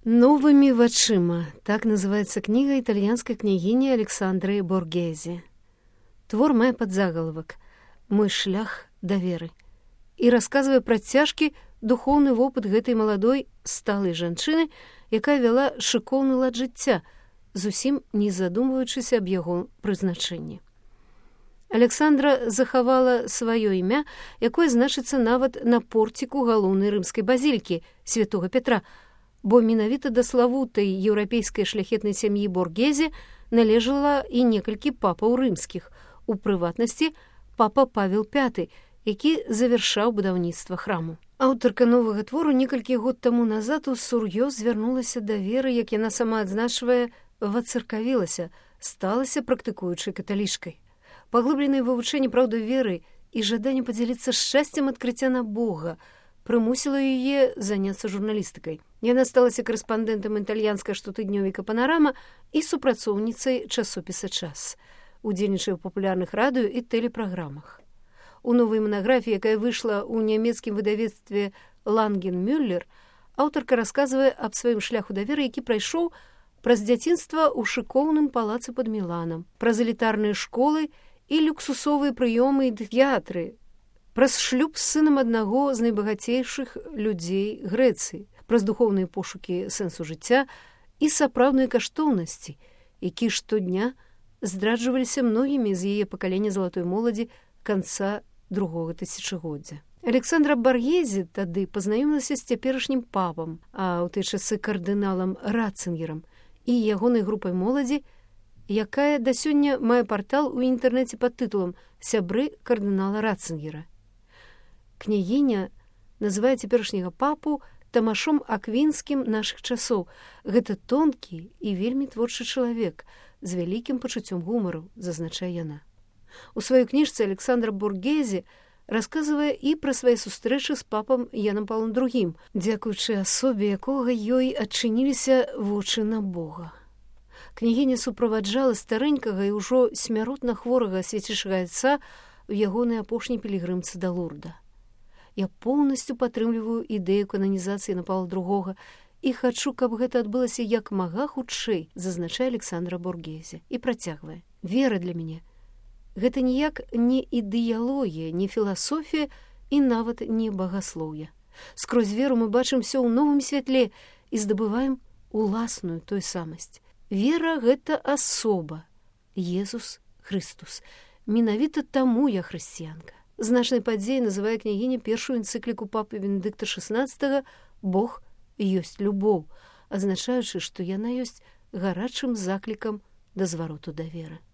Новыми вачыма. Так называется книга итальянской княгини Александры Боргезе. Твор мае подзаголовок «Мой шлях да веры» і расказвае пра цяжкі духоўны вопыт гэтай маладой сталай жанчыны, якая вяла шыкоўны лад жыцця, зусім не задумваючыся аб яго прызначэнні. Александра захавала сваё імя, якое значыцца нават на порціку галоўнай рымскай базілікі святога Петра, бо менавіта да славутай еўрапейскай шляхетнай сям'і Боргезе належала і некалькі папаў рымскіх, у прыватнасці папа Павел V, які завяршаў будаўніцтва храму. Аўтарка новага твору некалькі год таму назад усур'ёз звярнулася да веры, як яна сама адзначвае, вацыркавілася, сталася практыкуючай каталічкай. Паглыбленае вывучэнне праўды веры і жаданне падзяліцца шчасцем адкрыцця на Бога прымусіла яе заняцца журналістыкай. Яна сталася корэспандэнтам італьянскага штотыднёвіка «Панарама» і супрацоўніцай часопіса «Час». Удзельнічае ў папулярных радыё і тэлепраграмах. У новай манаграфіі, якая выйшла ў нямецкім выдавецтве «Ланген-Мюллер», аўтарка расказвае аб сваім шляху да веры, які прайшоў праз дзяцінства ў шыкоўным палацы пад Міланам, праз элітарныя школы і люксусовыя прыёмы і тэатры, праз шлюб з сынам аднаго з найбагацейшых людзей Грэцыі, праз духоўныя пошукі сэнсу жыцця і сапраўдныя каштоўнасці, якія штодня здраджваліся многімі з яе пакалення залатой моладзі канца другога тысячагоддзя. Александра Боргезе тады пазнаёмілася з цяперашнім папам, а ў тыя часы кардыналам Ратцынгерам і ягонай групай моладзі, якая да сёння мае партал у інтэрнэце пад тытулам «Сябры кардынала Ратцынгера». Княгіня называе цяперашняга папу Тамашом Аквінскім нашых часоў. Гэта тонкі і вельмі творчы чалавек з вялікім пачуццём гумару, зазначае яна. У сваёй кніжцы Александра Боргезе расказвае і пра свае сустрэчы з папам Янам Паўлам II, дзякуючы асобе якога ёй адчыніліся вочы на Бога. Княгіня суправаджала старэнькага і ўжо смяротна хворага свяцейшага айца ў ягонай апошняй пілігрымцы да Лурда. Я поўнасцю падтрымліваю ідэю кананізацыі Яна Паўла II і хачу, каб гэта адбылася як мага хутчэй, зазначае Александра Боргезе і працягвае. Вера для мяне – гэта ніяк не ідэалогія, не філасофія і нават не багаслоўе. Скрозь веру мы бачым все ў новым святле і здабываем уласную той самасць. Вера – гэта асоба, Езус Христус. Менавіта таму я хрысціянка. Значнай падзеяй называе княгіня першую энцыкліку папы Бенедыкта XVI «Бог ёсць любоў», адзначаючы, што яна ёсць гарачым заклікам да звароту да веры.